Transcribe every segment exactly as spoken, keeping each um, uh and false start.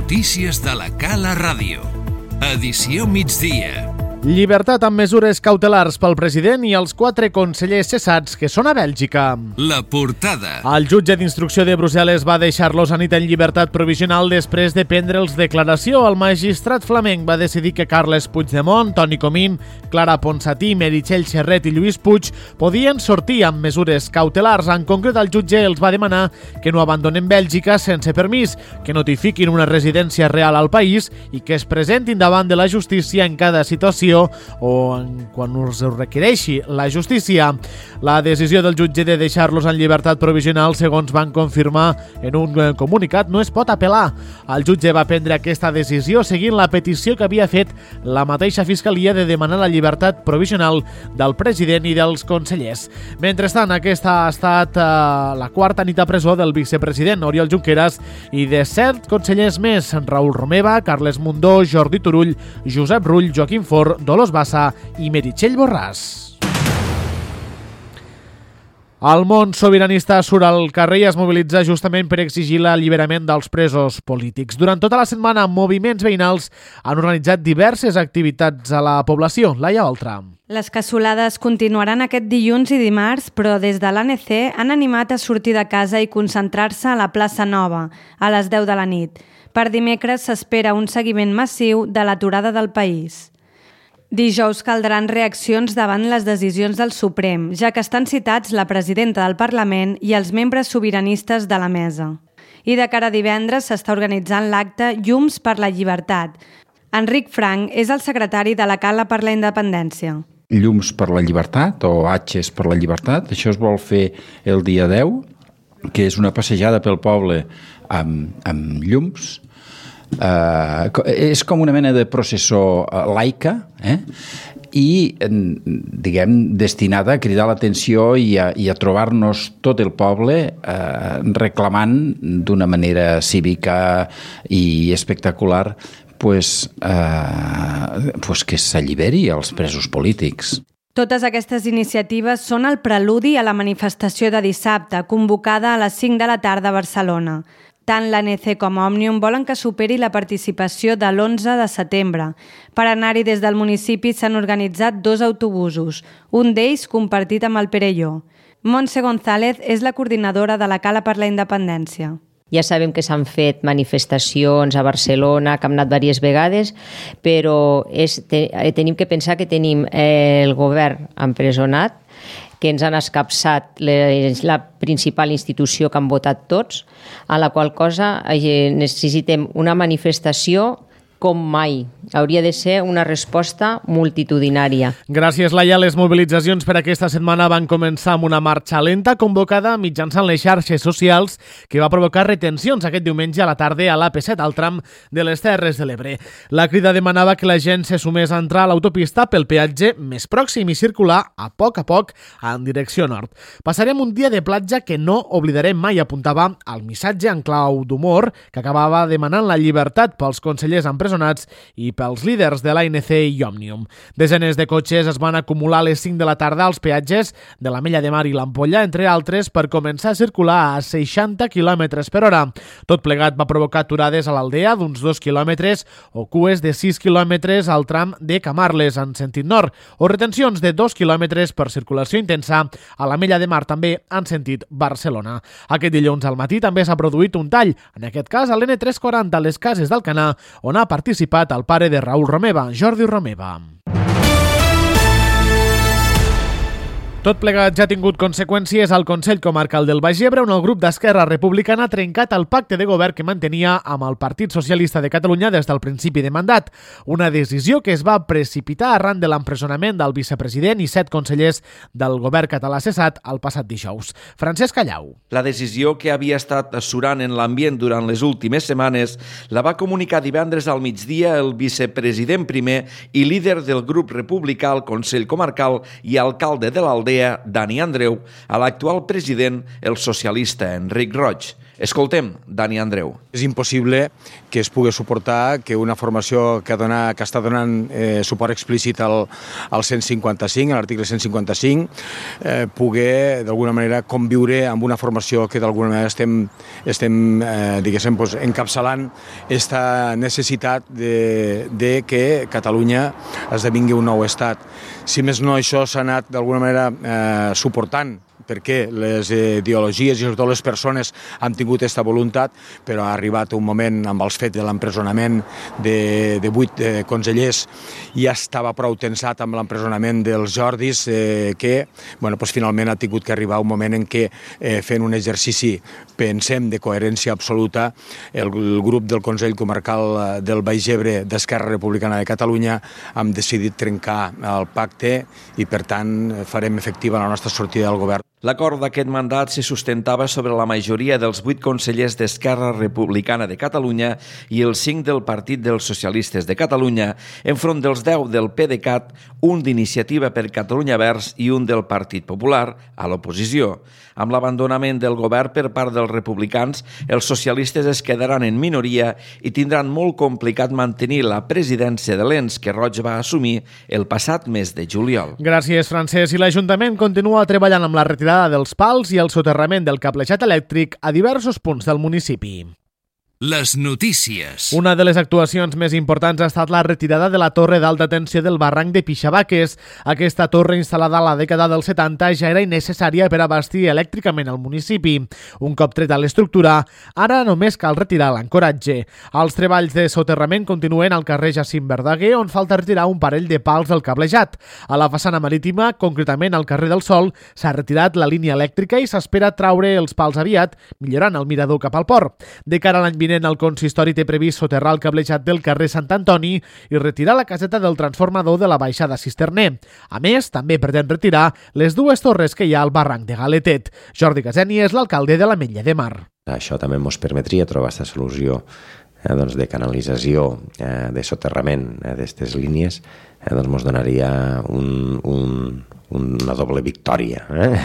Notícies de la Cala Ràdio. Edició migdia. Llibertat amb mesures cautelars pel president i els quatre consellers cessats que són a Bèlgica. La portada. El jutge d'instrucció de Brussel·les va deixar-los a nit en llibertat provisional després de prendre'ls declaració. El magistrat flamenc va decidir que Carles Puigdemont, Toni Comín, Clara Ponsatí, Meritxell Serret i Lluís Puig podien sortir amb mesures cautelars. En concret, el jutge els va demanar que no abandonen Bèlgica sense permís, que notifiquin una residència real al país i que es presentin davant de la justícia en cada situació o en quan us ho requereixi la justícia. La decisió del jutge de deixar-los en llibertat provisional, segons van confirmar en un comunicat, no es pot apel·lar. El jutge va prendre aquesta decisió seguint la petició que havia fet la mateixa Fiscalia de demanar la llibertat provisional del president i dels consellers. Mentrestant, aquesta ha estat eh, la quarta nit a presó del vicepresident Oriol Junqueras i de set consellers més: Raül Romeva, Carles Mundó, Jordi Turull, Josep Rull, Joaquim Forn, Dolors Bassa i Meritxell Borràs. El món sobiranista surt al carrer i es mobilitza justament per exigir l'alliberament dels presos polítics. Durant tota la setmana, moviments veïnals han organitzat diverses activitats a la població. Laia Oltra. Les cassolades continuaran aquest dilluns i dimarts, però des de l'A N C han animat a sortir de casa i concentrar-se a la plaça Nova, a les deu de la nit. Per dimecres s'espera un seguiment massiu de l'aturada del país. Dijous caldran reaccions davant les decisions del Suprem, ja que estan citats la presidenta del Parlament i els membres sobiranistes de la mesa. I de cara a divendres s'està organitzant l'acte Llums per la Llibertat. Enric Frank és el secretari de la Cala per la Independència. Llums per la Llibertat, o Atxes per la Llibertat, això es vol fer el dia deu, que és una passejada pel poble amb, amb llums. Uh, és com una mena de processó uh, laica, eh? i diguem destinada a cridar l'atenció i a, i a trobar-nos tot el poble eh, reclamant d'una manera cívica i espectacular pues, eh, pues que s'alliberi els presos polítics. Totes aquestes iniciatives són el preludi a la manifestació de dissabte, convocada a les cinc de la tarda a Barcelona. Tant l'A N C com Òmnium volen que superi la participació de l'onze de setembre. Per anar-hi des del municipi s'han organitzat dos autobusos, un d'ells compartit amb el Perelló. Montse González és la coordinadora de la Cala per la Independència. Ja sabem que s'han fet manifestacions a Barcelona, que hem anat diverses vegades, però és, te, tenim que pensar que tenim eh, el govern empresonat, que ens han escapçat la principal institució que han votat tots, a la qual cosa necessitem una manifestació com mai. Hauria de ser una resposta multitudinària. Gràcies, Laia. Les mobilitzacions per aquesta setmana van començar amb una marxa lenta convocada mitjançant les xarxes socials que va provocar retencions aquest diumenge a la tarda a l'A P set al tram de les Terres de l'Ebre. La Crida demanava que la gent se sumés a entrar a l'autopista pel peatge més pròxim i circular a poc a poc en direcció nord. Passarem un dia de platja que no oblidarem mai, apuntava el missatge en clau d'humor que acabava demanant la llibertat pels consellers empresonats i pels líders de l'A N C i Òmnium. Desenes de cotxes es van acumular a les cinc de la tarda als peatges de l'Ametlla de Mar i l'Ampolla, entre altres, per començar a circular a seixanta quilòmetres per hora. Tot plegat va provocar aturades a l'Aldea d'uns dos quilòmetres o cues de sis quilòmetres al tram de Camarles en sentit nord, o retencions de dos quilòmetres per circulació intensa a l'Ametlla de Mar, també en sentit Barcelona. Aquest dilluns al matí també s'ha produït un tall, en aquest cas a l'N tres cents i quaranta a les Cases d'Alcanar, on ha participat el pare de Raül Romeva, Jordi Romeva. Tot plegat ja ha tingut conseqüències al Consell Comarcal del Baix Ebre, on el grup d'Esquerra Republicana ha trencat el pacte de govern que mantenia amb el Partit Socialista de Catalunya des del principi de mandat. Una decisió que es va precipitar arran de l'empresonament del vicepresident i set consellers del govern català cessat el passat dijous. Francesc Callau. La decisió, que havia estat surant en l'ambient durant les últimes setmanes, la va comunicar divendres al migdia el vicepresident primer i líder del grup republicà al Consell Comarcal i alcalde de l'Aldea, Dani Andreu, a l'actual president, el socialista Enric Roig. Escoltem Dani Andreu. És impossible que es pugui suportar que una formació que, dona, que està donant eh, suport explícit al, al cent cinquanta-cinc, a l'article cent cinquanta-cinc, eh, pugui d'alguna manera conviure amb una formació que d'alguna manera estem, estem eh, diguéssim, pues, encapçalant aquesta necessitat de, de que Catalunya esdevingui un nou estat. Si més no, això s'ha anat d'alguna manera eh, suportant, perquè les ideologies i sobretot les persones han tingut aquesta voluntat, però ha arribat un moment amb els fets de l'empresonament de, de vuit eh, consellers, i ja estava prou tensat amb l'empresonament dels Jordis, eh, que bueno, pues, finalment ha tingut que arribar un moment en què, eh, fent un exercici, pensem, de coherència absoluta, el, el grup del Consell Comarcal del Baix Ebre d'Esquerra Republicana de Catalunya hem decidit trencar el pacte i, per tant, farem efectiva la nostra sortida del govern. L'acord d'aquest mandat se sustentava sobre la majoria dels vuit consellers d'Esquerra Republicana de Catalunya i els cinc del Partit dels Socialistes de Catalunya, enfront dels deu del PDeCAT, un d'Iniciativa per Catalunya Verds i un del Partit Popular, a l'oposició. Amb l'abandonament del govern per part dels republicans, els socialistes es quedaran en minoria i tindran molt complicat mantenir la presidència de l'ens que Roig va assumir el passat mes de juliol. Gràcies, Francesc. I l'Ajuntament continua treballant amb la retirada dels pals i el soterrament del cablejat elèctric a diversos punts del municipi. Les notícies. Una de les actuacions més importants ha estat la retirada de la torre d'alta tensió del barranc de Pixabaques. Aquesta torre, instal·lada a la dècada dels setanta, ja era innecessària per abastir elèctricament el municipi. Un cop treta l'estructura, ara només cal retirar l'ancoratge. Els treballs de soterrament continuen al carrer Jacint Verdaguer, on falta retirar un parell de pals del cablejat. A la façana marítima, concretament al carrer del Sol, s'ha retirat la línia elèctrica i s'espera traure els pals aviat, millorant el mirador cap al port. De cara a l'any vinent, el consistori té previst soterrar el cablejat del carrer Sant Antoni i retirar la caseta del transformador de la baixada Cisterner. A més, també pretén retirar les dues torres que hi ha al barranc de Galetet. Jordi Caseni és l'alcalde de l'Ametlla de Mar. Això també ens permetria trobar aquesta solució eh, doncs de canalització, eh, de soterrament eh, d'aquestes línies, eh, doncs ens donaria un, un, una doble victòria, eh?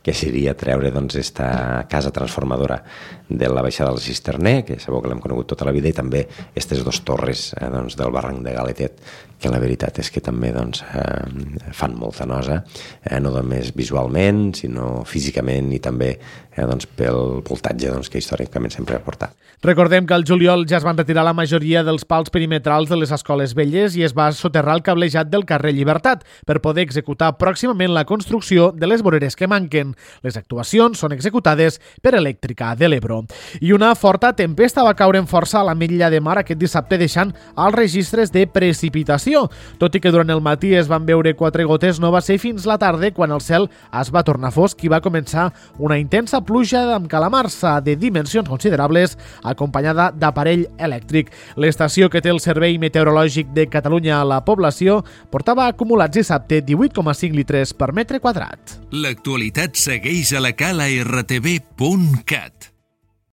que seria treure doncs, esta casa transformadora de la baixada del Cisterner, que sabeu que l'hem conegut tota la vida, i també aquestes dues torres eh, doncs, del barranc de Galetet, que la veritat és que també doncs, eh, fan molta nosa, eh, no només visualment, sinó físicament i també eh, doncs, pel voltatge doncs, que històricament sempre ha portat. Recordem que al juliol ja es van retirar la majoria dels pals perimetrals de les escoles velles i es va soterrar el cablejat del carrer Llibertat per poder executar pròximament la construcció de les voreres que manquen. Les actuacions són executades per Elèctrica de l'Ebro. I una forta tempesta va caure en força a l'Ametlla de Mar aquest dissabte, deixant els registres de precipitació. Tot i que durant el matí es van veure quatre gotes, no va ser fins la tarda quan el cel es va tornar fosc i va començar una intensa pluja amb calamarsa de dimensions considerables, acompanyada d'aparell elèctric. L'estació que té el Servei Meteorològic de Catalunya a la població portava acumulats dissabte divuit coma cinc litres per metre quadrat. L'actualitat segueix a la cala r t v punt cat.